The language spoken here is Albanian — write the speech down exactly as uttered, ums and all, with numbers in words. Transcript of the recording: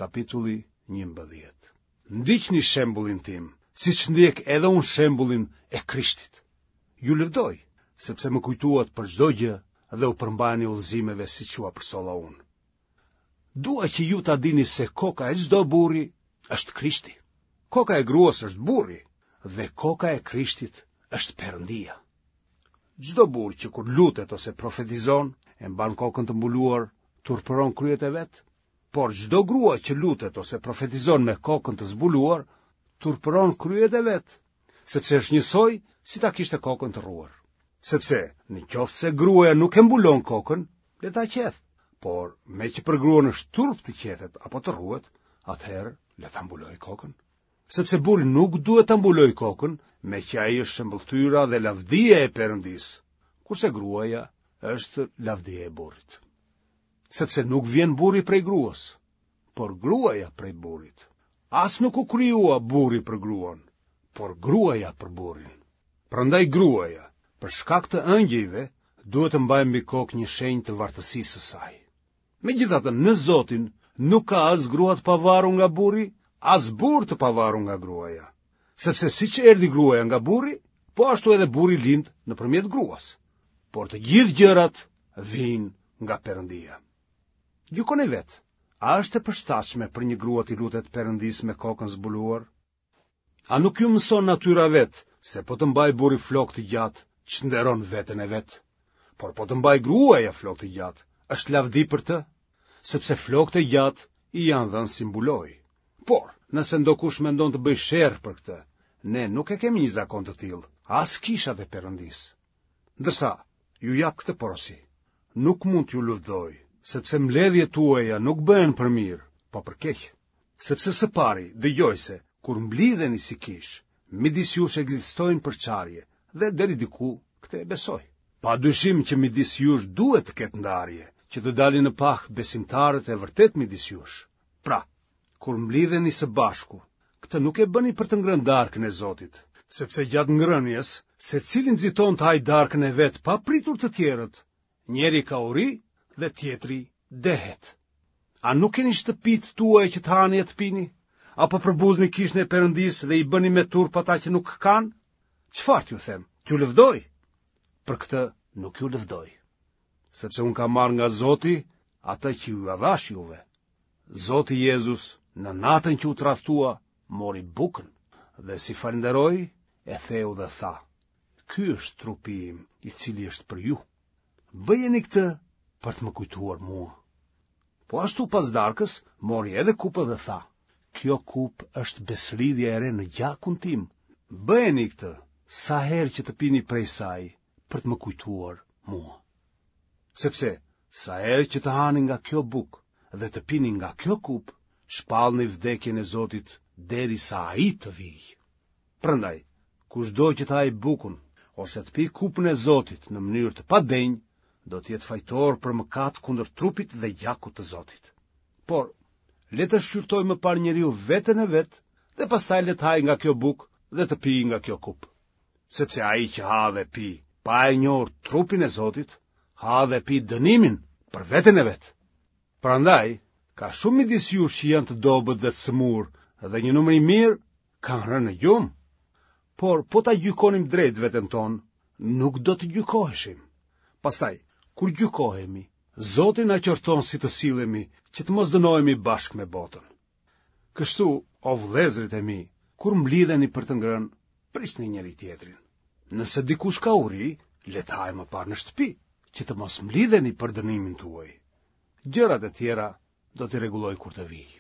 Kapitulli njëmbëdhjetë. Ndiqni shembullin tim, siç ndjek edhe unë shembullin e Krishtit. Ju lëvdoj, sepse më kujtuat për çdo gjë dhe u përmbaheni udhëzimeve siç jua përcolla unë. Dua që ju ta dini se koka e çdo burri është Krishti. Koka e gruas është burri dhe koka e Krishtit është Perëndia. Çdo burrë që kur lutet ose profetizon, e mban kokën të mbuluar, turpëron kryet e vet, por çdo grua që lutet ose profetizon me kokën të zbuluar, turpëron kryet e vet, sepse është njësoj si ta kishte kokën të rruar. Sepse, në qoftë se gruaja nuk e mbulon kokën, le ta qethë, por meqë për gruan është turp të qethet apo të rruhet, atëherë le ta mbulojë kokën. Sepse burri nuk duhet ta mbulojë kokën, meqë ai është shëmbëlltyra dhe lavdia e Perëndisë, kurse gruaja është lavdia e burrit. Sepse nuk vjen burri prej gruas, por gruaja prej burrit. As nuk u krijua burri për gruan, por gruaja për burrin. Prandaj gruaja, për shkak të engjëjve, duhet të mbajë mbi kokë një shenjë të vartësisë së saj. Megjithatë, në Zotin nuk ka as grua të pavarur nga burri, as burrë të pavarur nga gruaja. Sepse siç erdhi gruaja nga burri, po ashtu edhe burri lind nëpërmjet gruas. Por të gjithë gjërat vijnë nga Perëndia. Gjykoni vetë, a është e përshtatshme për një grua t'i lutet Perëndisë me kokën zbuluar? A nuk ju mëson natyra vetë se po të mbajë burri flokë të gjatë, çnderon veten e vet? Por po të mbajë gruaja flokë të gjatë, është lavdi për të, sepse flokët e gjatë i janë dhënë si mbulojë. Por, nëse ndokush mendon të bëjë sherr për këtë, ne nuk e kemi një zakon të tillë, as kishat e Perëndisë. Ndërsa, ju jap këtë porosi. Nuk mund t'ju lëvdoj, sepse mbledhjet tuaja nuk bëhen për mirë, po për keq. Sepse së pari, dëgjoj se, kur mblidheni si kishë, midis jush ekzistojnë përçarje, dhe deri diku këtë e besoj. Pa dyshim që midis jush duhet të ketë ndarje, që të dalin në pah besimtarët e vërtetë midis jush. Pra, kur mblidheni së bashku, këtë nuk e bëni për të ngrënë darkën e Zotit, sepse gjatë ngrënies, secili nxiton të hajë darkën e vet pa pritur të tjerët. Njëri ka uri dhe tjetri dehet. A nuk keni shtëpitë tuaja që të hani e të pini? Apo përbuzni kishën e Perëndisë dhe i bëni me turp ata që nuk kanë? Çfarë t'ju them? T'ju lëvdoj? Për këtë nuk ju lëvdoj, sepse unë kam marrë nga Zoti atë që jua dhashë juve. Zoti Jezus, në natën që u tradhtua, mori bukën dhe si falënderoi, e theu dhe tha: Ky është trupi im, i cili është për ju. Bëjeni këtë për të më kujtuar mua. Po ashtu pas darkës, mori edhe kupën dhe tha: Kjo kupë është besëlidhja e re në gjakun tim. Bëjeni këtë sa herë që të pini prej saj për të më kujtuar mua. Sepse sa herë që të hani nga kjo bukë dhe të pini nga kjo kupë, shpallni vdekjen e Zotit derisa ai të vijë. Prandaj, kushdo që të hajë bukën ose të pijë kupën e Zotit në mënyrë të padenjë, do të jetë fajtor për mëkat kundër trupit dhe gjakut të Zotit. Por, le të shqyrtojë më parë njeriu veten e vet dhe pastaj le të hajë nga kjo bukë dhe të pijë nga kjo kupë. Sepse ai që ha dhe pi pa e njohur trupin e Zotit, ha dhe pi dënimin për veten e vet. Prandaj, ka shumë midis jush që janë të dobët dhe të sëmurë dhe një numër i mirë kanë rënë në gjumë. Por po ta gjykonim drejt veten tonë, nuk do të gjykoheshim. Pastaj, kur gjykohemi, Zoti na qorton si të sillemi, që të mos dënohemi bashkë me botën. Kështu, o vëllezërit e mi, kur mblidheni për të ngrënë, prisni njëri tjetrin. Nëse dikush ka uri, le të hajë më parë në shtëpi, që të mos mblidheni për dënimin tuaj. Gjërat e tjera do t'i rregulloj kur të vij.